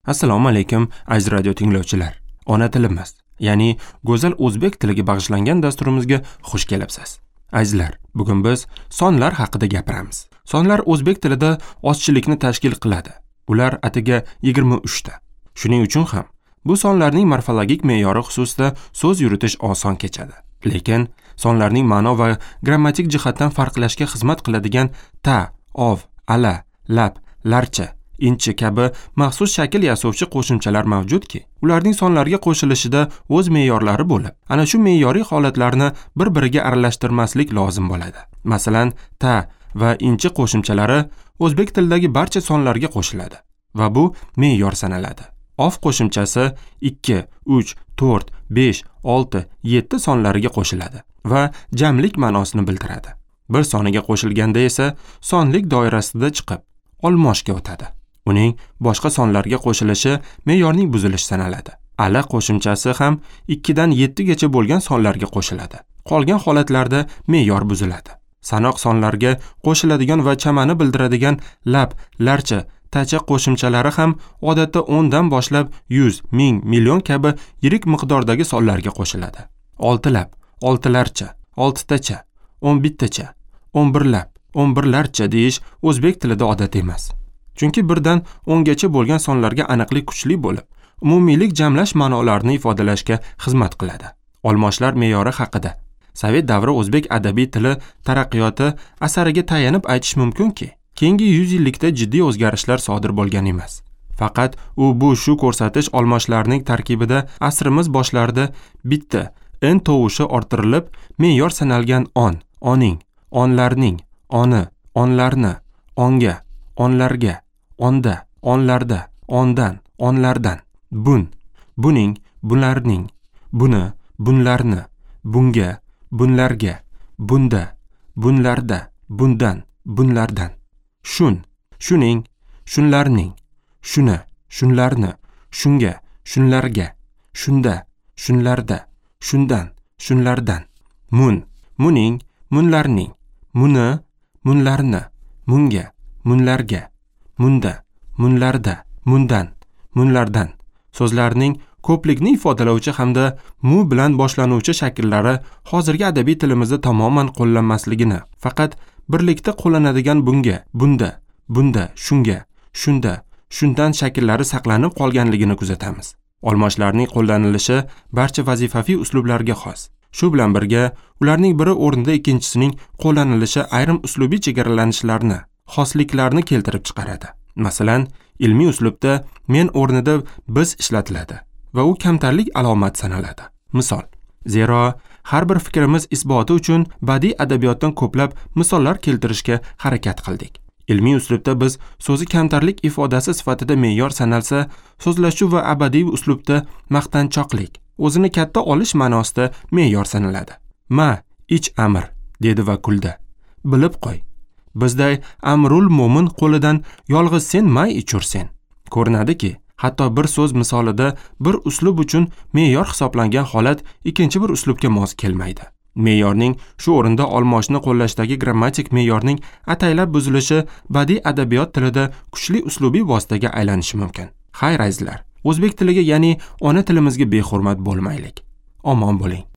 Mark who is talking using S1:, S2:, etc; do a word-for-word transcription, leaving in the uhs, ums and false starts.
S1: Assalomu alaykum aziz radio tinglovchilar. Ona tilimiz, ya'ni go'zal o'zbek tiliga bag'ishlangan dasturimizga xush kelibsiz. Azizlar, bugun biz sonlar haqida gapiramiz. Sonlar o'zbek tilida ozchilikni tashkil qiladi. Ular atiga yigirma uchta. Shuning uchun ham bu sonlarning morfologik me'yori xususida so'z yuritish oson kechadi. Lekin sonlarning ma'no va grammatik jihatdan farqlashga xizmat qiladigan ta, ov, ala, lab, larcha, inchi kabi maxsus shakl yasovchi qo'shimchalar mavjudki, ularning sonlarga qo'shilishida o'z me'yorlari bo'lib, ana shu me'yoriy holatlarni bir-biriga aralashtirmaslik lozim bo'ladi. Masalan, ta va inchi qo'shimchalari o'zbek tilidagi barcha sonlarga qo'shiladi va bu me'yor sanaladi. Of qo'shimchasi ikki, uch, to'rt, besh, olti, yetti sonlariga qo'shiladi va jamlik ma'nosini bildiradi. Bir soniga qo'shilganda esa sonlik doirasida chiqib, olmoshga o'tadi. Uning boshqa sonlarga qo'shilishi me'yorning buzilishi sanaladi. Ala qo'shimchasi ham ikkidan yettigacha bo'lgan sonlarga qo'shiladi. Qolgan holatlarda me'yor buziladi. Sanoq sonlarga qo'shiladigan va chamani bildiradigan lab, larcha, tacha qo'shimchalari ham odatda o'ndan boshlab yuz, ming, million kabi yirik miqdordagi sonlarga qo'shiladi. Oltilab, oltilarcha, oltitacha, o'n bittacha, o'n birlab, o'n birlarcha deyish o'zbek tilida odat emas. Chunki birdan o'ngacha bo'lgan sonlarga aniqlik kuchli bo'lib, umumiylik jamlash ma'nolarini ifodalashga xizmat qiladi. Olmoshlar me'yori haqida Sovet davri o'zbek adabiy tili taraqqiyoti asariga tayanib aytish mumkinki, keyingi yuz yillikda jiddiy o'zgarishlar sodir bo'lgan emas. Faqat u bu shu ko'rsatish olmoshlarning tarkibida asrimiz boshlarida bitta n tovushi orttirilib, me'yor sanalgan on, oning, onlarning, oni, onlarni, onga, onlarga, onda, onlarda, ondan, onlardan, bun, buning, bunlarning, buni, bunlarni, bunga, bunlarga, bunda, bunlarda, bundan, bunlardan, shun, shuning, shunlarning, shuni, shunlarni, shunga, shunlarga, shunda, shunlarda, shundan, shunlardan, mun, muning, munlarning, muni, munlarni, munga, munlarga, munda, munlarda, mundan, munlardan so'zlarning ko'plikni ifodalovchi hamda mu bilan boshlanuvchi shakllari hozirgi adabiy tilimizda tamoman qo'llanmasligini, faqat birlikda qo'llanadigan bunga, bunda, bunda, shunga, shunda, shundan shakllari saqlanib qolganligini kuzatamiz. Olmoshlarning qo'llanilishi barcha vazifaviy uslublarga xos. Shu bilan birga ularning biri o'rnida ikkinchisining qo'llanilishi ayrim uslubiy chegaralanishlarni, xosliklarni keltirib chiqaradi. Masalan, ilmiy uslubda men o'rnida biz ishlatiladi va u kamtarlik alomati sanaladi. Misol, zero har bir fikrimiz isboti uchun badiiy adabiyotdan ko'plab misollar keltirishga harakat qildik. Ilmiy uslubda biz so'zi kamtarlik ifodasi sifatida me'yor sanalsa, so'zlashuv va abadiy uslubda maqtanchoqlik, o'zini katta olish ma'nosida me'yor sanaladi. Ma, ich amir, dedi va kuldi. Bilib qo'y. Bizday amrul mo'min qo'lidan yolg'iz sen may ichursen. Ko'rinadiki, hatto bir so'z misolida bir uslub uchun me'yor hisoblangan holat ikkinchi bir uslubga mos kelmaydi. Me'yorning shu o'rinda olmoshni qo'llashdagi grammatik me'yorning ataylab buzilishi badiiy adabiyot tilida kuchli uslubiy vositaga aylanishi mumkin. Xayr azizlar, o'zbek tiliga, ya'ni ona tilimizga behurmat bo'lmaylik. Omon bo'ling.